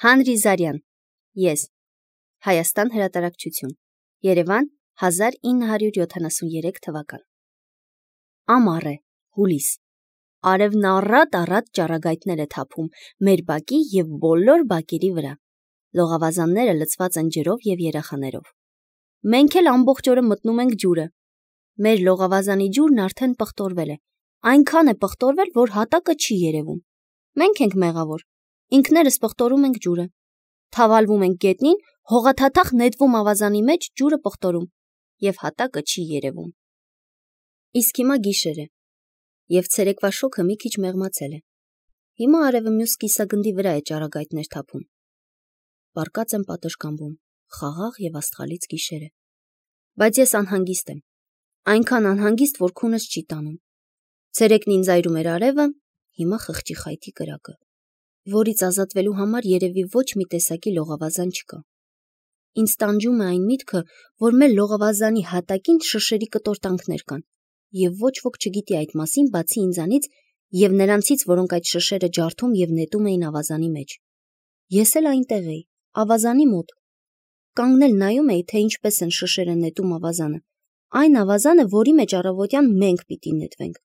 Հանրի Զարյան, ես, Հայաստան հրատարակչություն, Երևան 1973 թվական։ Ամառ է, հուլիս, արևն առատ ճառագայթներ է թափում մեր բակի և բոլոր բակերի վրա, լողավազանները լցված են ջրով և երեխաներով։ Մենք էլ ամբողջ օրը մտնում ենք ջուրը, մեր լողավազանի ջուրն արդեն պղտորվել է, այնքան է պղտորվել, որ հատակը չի երևում, մենք ենք մեղավոր, ինքներս պղտորում ենք ջուրը, թավալվում ենք գետնին, հողաթաթախ նետվում ավազանի մեջ, ջուրը պղտորում և հատակը չի երևում։ Իսկ հիմա գիշեր է, և ցերեկվա շոգը մի քիչ մեղմացել է, հիմա արևը մյուս կիսագնդի վրա է ճառագայթներ թափում, պառկած եմ պատշգամբում, խաղաղ և աստղալից գիշեր է, բայց ես անհանգիստ եմ, այնքան անհանգիստ, որ քունս չի տանում, ցերեկն ինձ այրում էր արևը, հիմա խղճի խայթի կրակը, որից ազատվելու համար երևի ոչ մի տեսակի լողավազան չկա։ Ինձ տանջում է այն միտքը, որ մեր լողավազանի հատակին շշերի կտորտանքներ կան, և ոչ ոք չգիտի այդ մասին, բացի ինձանից և նրանցից, որոնք այդ շշերը ջարդում և նետում էին ավազանի մեջ։ Ես էլ այնտեղ էի, ավազանի մոտ, կանգնել նայում էի, թե ինչպես են շշերը նետում ավազանը, այն ավազանը, որի մեջ առավոտյան մենք պիտի նետվենք։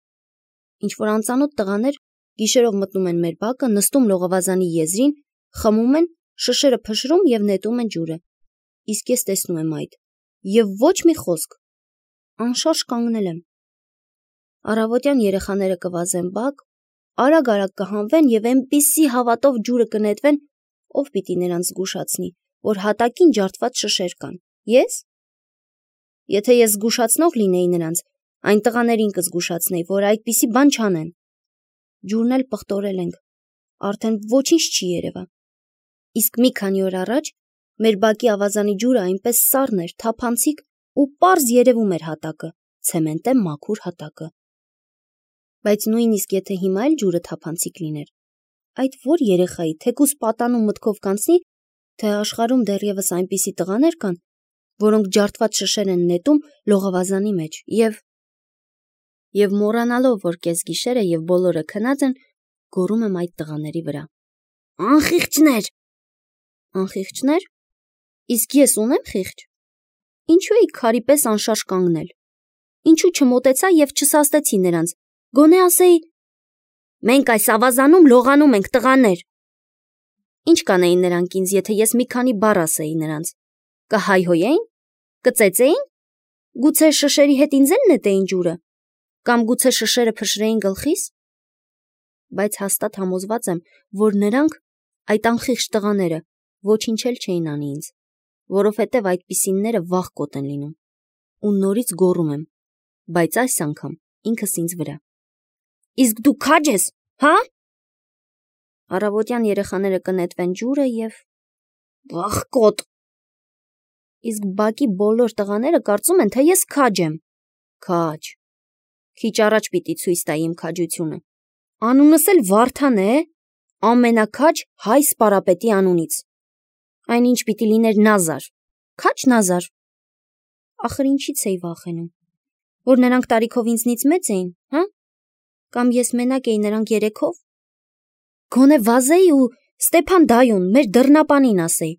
Ինչ-որ անծանոթ տղաներ գիշերով մտնում են մեր բակը, նստում լողավազանի եզրին, խմում են, շշերը փշրում և նետում են ջուրը, իսկ ես տեսնում եմ այդ, և ոչ մի խոսք, անշարժ կանգնել եմ։ Առավոտյան երեխաները կվազեն բակ, արագ կհանվեն և այնպիսի հավատով ջուրը կնետվեն, ով պիտի նրանց զգուշացնի, որ հատակին ջարդված շշեր կան։ Ես? Եթե ես զգուշացնող լինեի նրանց, այն տղաներին կզգուշացնեի, որ այդպիսի բան չանեն։ Ջուրն էլ պղտորել ենք, արդեն ոչինչ չի երևա։ Իսկ մի քանի օր առաջ մեր բակի ավազանի ջուրը այնպես սառն էր, թափանցիկ ու պարզ երևում էր հատակը, ցեմենտե մաքուր հատակը։ Բայց նույնիսկ եթե հիմա էլ ջուրը թափանցիկ լիներ, այդ որ երեխայի թեկուզ պատանում մտքով կանցնի, թե աշխարհում դեռևս այնպիսի տղաներ կան, որոնք ջարդված շշեր են նետում լողավազանի մեջ և մոռանալով, որ կեսգիշեր է և բոլորը քնած են, գոռում եմ այդ տղաների վրա. Անխիղճներ։ Անխիղճներ։ Իսկ ես ունեմ խիղճ։ Ինչու էի քարի պես անշարժ կանգնել։ Ինչու չմոտեցա և չսաստեցի նրանց, գոնե ասեի. մենք այս ավազանում լողանում ենք, տղաներ։ Ինչ կանեին նրանք ինձ, եթե ես մի քանի բառ ասեի նրանց, կհայհոյեին, կծեծեին, գուցե շշերի հետ ինձ էլ նետեին ջուրը, կամ գուցե շշերը փշրեին գլխիս։ Բայց հաստատ համոզված եմ, որ նրանք, այդ անխիղճ տղաները, ոչինչ էլ չէին անի ինձ, որովհետև այդպիսինները վախկոտ են լինում, ու նորից գոռում եմ, բայց այս անգամ ինքս ինձ վրա. Իսկ դու քա՞ջ ես, հա՞։ Առավոտյան երեխաները կնետվեն ջուրը և վախկոտ։ Իսկ բակի բոլոր տղաները կարծում են, թե ես քաջ եմ։ Քաջ։ Քիչ առաջ պիտի ցույց տայի իմ քաջությունը։ Անունս էլ Վարդան է, ամենաքաջ հայ սպարապետի անունից։ Այնինչ պիտի լիներ Նազար։ Քաջ Նազար։ Ախր ինչից էի վախենում, որ նրանք տարիքով ինձնից մեծ էին, հա՞։ Կամ ես մենակ էի, նրանք երեքով։ Գոնե վազեի ու Ստեփան դայուն, մեր դռնապանին ասեի,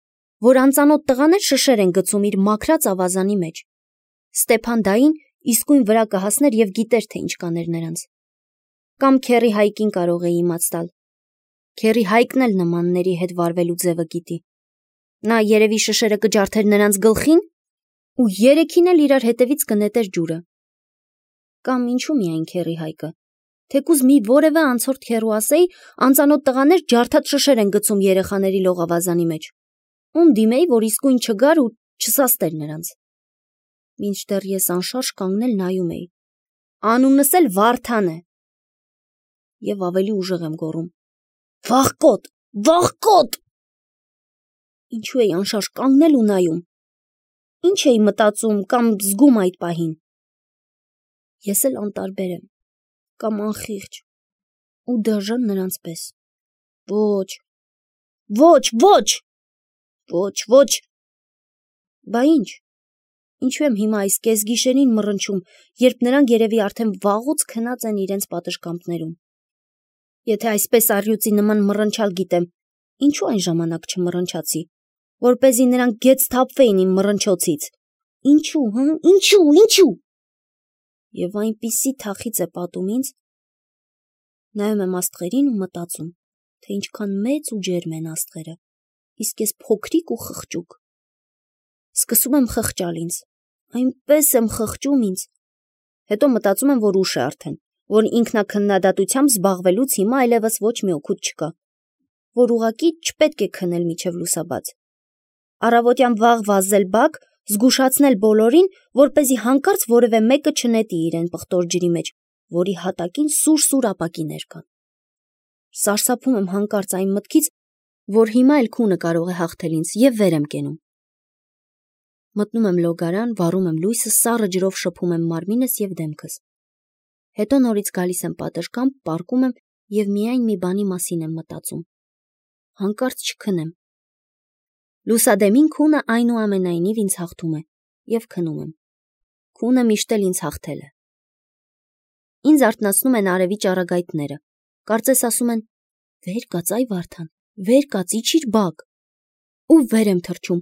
որ անծանոթ տղաներ շշեր են գցում իր մաքրած ավազանի մեջ։ Ստեփան դային իսկույն վրա կհասներ և գիտեր, թե ինչ կաներ նրանց։ Կամ քեռի Հայկին կարող էի իմաց տալ։ Քեռի Հայկն էլ նմանների հետ վարվելու ձևը գիտի։ Նա երևի շշերը կջարդեր նրանց գլխին ու երեքին էլ իրար հետևից կնետեր ջուրը։ Կամ ինչու միայն քեռի Հայկը, թեկուզ մի որևէ անցորդ քեռու ասեի, անծանոթ տղաներ ջարդած շշեր են գցում երեխաների լողավազանի մեջ, ում դիմեի, որ իսկույն չգար ու չսաստեր նրանց։ Մինչդեռ ես անշարժ կանգնել նայում էի։ Անունս էլ Վարդան է։ Եվ ավելի ուժեղ եմ գոռում. Վախկոտ, վախկոտ։ Ինչու էի անշարժ կանգնել ու նայում։ Ինչ էի մտածում կամ զգում այդ պահին։ Ես էլ անտարբեր եմ, կամ անխիղճ ու դաժան նրանց պես։ Ոչ, ոչ, ոչ, ոչ, ոչ։ Բա ինչ։ Ինչու եմ հիմա այս կեսգիշերին մռնչում, երբ նրանք երևի արդեն վաղուց քնած են իրենց պատշգամբներում։ Եթե այսպես առյուծի նման մռնչալ գիտեմ, Ինչու այն ժամանակ չմռնչացի, որպեսզի նրանք գետ սթափվեին իմ մռնչոցից։ Ինչու։ Եվ այնպիսի թախիծ է պատում ինձ, նայում եմ աստղերին ու մտածում, թե ինչքան մեծ ու ջերմ են աստղերը, իսկ ես փոքրիկ ու խղճուկ։ Սկսում եմ խղճալ ինձ, այնպես եմ խղճում ինձ։ Հետո մտածում եմ, որ ուշ է արդեն, որ ինքնաքննադատությամբ զբաղվելուց հիմա այլևս ոչ մի օգուտ չկա, որ ուղղակի չպետք է քնել մինչև լուսաբաց։ Առավոտյան վաղ վազել բակ, զգուշացնել բոլորին, որպեսզի հանկարծ որևէ մեկը չնետի իրեն պղտոր ջրի մեջ, որի հատակին սուր ապակիներ կան։ Սարսափում եմ հանկարծ այն մտքից, որ հիմա էլ քունը կարող է հաղթել ինձ և վեր եմ կենում։ Մտնում եմ լոգարան, վառում եմ լույսը, սառը ջրով շփում եմ մարմինս և դեմքս։ Հետո նորից գալիս եմ պատշգամբ, պառկում եմ և միայն մի բանի մասին եմ մտածում։ Հանկարծ չքնեմ։ Լուսադեմին քունը այնուամենայնիվ ինձ հաղթում է և քնում եմ։ Քունը միշտ էլ ինձ հաղթել է։ Ինձ արթնացնում են արևի ճառագայթները։ Կարծես ասում են. «Վեր կաց, այ Վարդան, վեր կաց, իջիր բակ»։ Ու վեր եմ թռչում,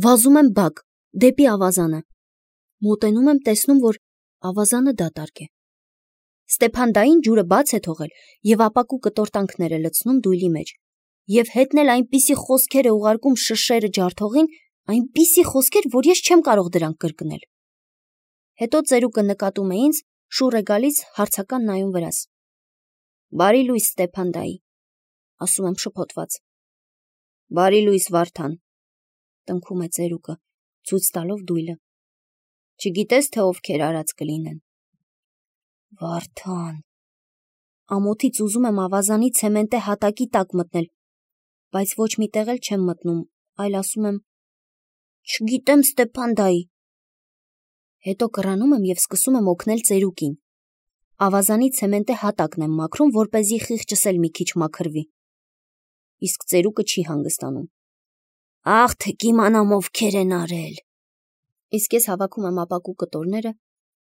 վազում եմ բակ, դեպի ավազանը։ Մոտենում եմ, տեսնում, որ ավազանը դատարկ է։ Ստեփան-դային ջուրը բաց է թողել և ապակու կտորտանքներ է լցնում դույլի մեջ։ Եվ հետն էլ այնպիսի խոսքեր է ուղարկում շշերը ջարդողին, այնպիսի խոսքեր, որ ես չեմ կարող դրանք կրկնել։ Հետո ծերուկը նկատում է ինձ, շուռ է գալիս, հարցական նայում վրաս։ «Բարի լույս, Ստեփան-դայի», ասում եմ շփոթված։ «Բարի լույս, Վարդան», տնքում է ծերուկը, ցույց տալով դույլը։ «Չգիտես, թե ովքեր արած կլինեն»։ Վարդան։ Ամոթից ուզում եմ ավազանի ցեմենտե հատակի տակ մտնել, բայց ոչ մի տեղ էլ չեմ մտնում, այլ ասում եմ. «Չգիտեմ, Ստեփան-դայի»։ Հետո կռանում եմ և սկսում եմ օգնել ծերուկին։ Ավազանի ցեմենտե հատակն եմ մաքրում, որպեսզի խիղճս էլ մի քիչ մաքրվի։ Իսկ ծերուկը չի հանգստանում։ «Աղ, թե կիմանամ ովքեր են արել»։ Իսկ ես հավաքում եմ ապակու կտորները,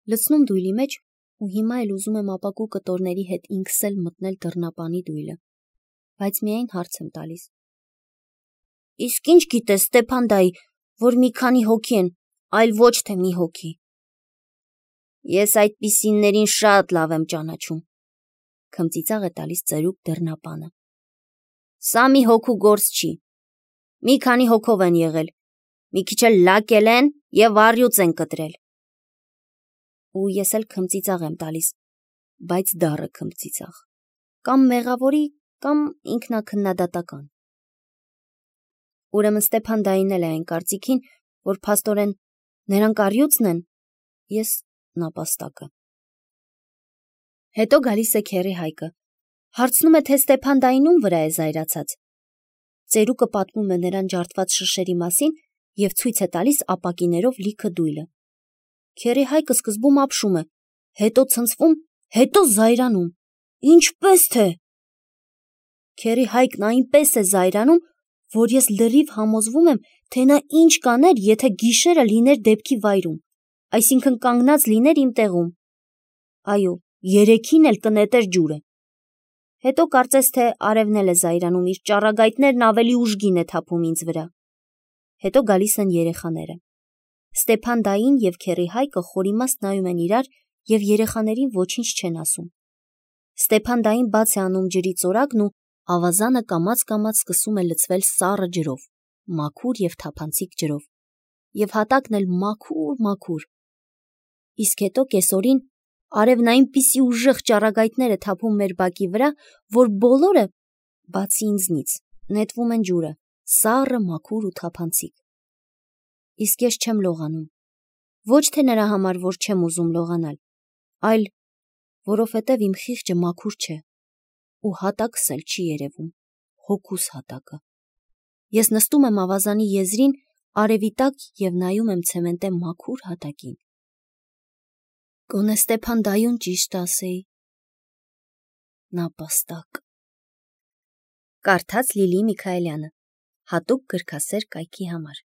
լցնում դույլի մեջ ու հիմա էլ ուզում եմ ապակու կտորների հետ ինքս էլ մտնել դռնապանի դույլը, բայց միայն հարց եմ տալիս. «Իսկ ինչ գիտես, Ստեփան-դայի, որ մի քանի հոգի են, այլ ոչ թե մի հոգի»։ «Ես այդպիսիներին շատ լավ եմ ճանաչում», քմծիծաղ է տալիս ծերուկ դռնապանը։ «Սա մի հոգու գործ չի։ Մի քանի հոգով են եղել, մի քիչ էլ լակել են և առյուծ են կտրել»։ Ու ես էլ քմծիծաղ եմ տալիս, բայց դառը քմծիծաղ, կամ մեղավորի, կամ ինքնաքննադատական։ Ուրեմն Ստեփան-դային էլ է այն կարծիքին, որ փաստորեն նրանք առյուծն են, ես նապաստակը։ Հետո գալիս է քեռի Հայկը, հարցնում է, թե Ստեփան-դային ում վրա է զայրացած։ Ծերուկը պատմում է նրան ջարդված շշերի մասին և ցույց է տալիս ապակիներով լիքը դույլը։ Քեռի Հայկը սկզբում ապշում է, հետո ցնցվում, հետո զայրանում։ Ինչպես թե։ Քեռի Հայկն այնպես է զայրանում, որ ես լրիվ համոզվում եմ, թե նա ինչ կաներ, եթե գիշերը լիներ դեպքի վայրում, այսինքն կանգնած լիներ իմ տեղում։ Այո, երեքին էլ կնետեր ջուրը։ Հետո կարծես թե արևն էլ է զայրանում, իր ճառագայթներն ավելի ուժգին է թափում ինձ վրա։ Հետո գալիս են երեխաները։ Ստեփան-դային և քեռի Հայկը խորիմաստ նայում են իրար և երեխաներին ոչինչ չեն ասում։ Ստեփան-դային բաց է անում ջրի ծորակն ու ավազանը կամաց-կամաց սկսում է լցվել սառը ջրով, մաքուր և թափանցիկ ջրով, և հատակն էլ մաքուր։ Իսկ հետո կեսօրին արևն այնպիսի ուժեղ ճառագայթներ է թափում մեր բակի վրա, որ բոլորը, բացի ինձնից, նետվում են ջուրը, սառը, մաքուր ու թափանցիկ։ Իսկ ես չեմ լողանում, ոչ թե նրա համար, որ չեմ ուզում լողանալ, այլ որովհետև իմ խիղճը մաքուր չէ ու հատակս էլ չի երևում, հոգուս հատակը։ Ես նստում եմ ավազանի եզրին արևի տակ և նայում եմ ցեմենտե մաքուր հատակին։ Գոնե Ստեփան-դայուն ճիշտ ասեի։ Նապաստակ։ Կարդաց Լիլի Միքայելյանը, հատուկ գրքասեր կայքի համար։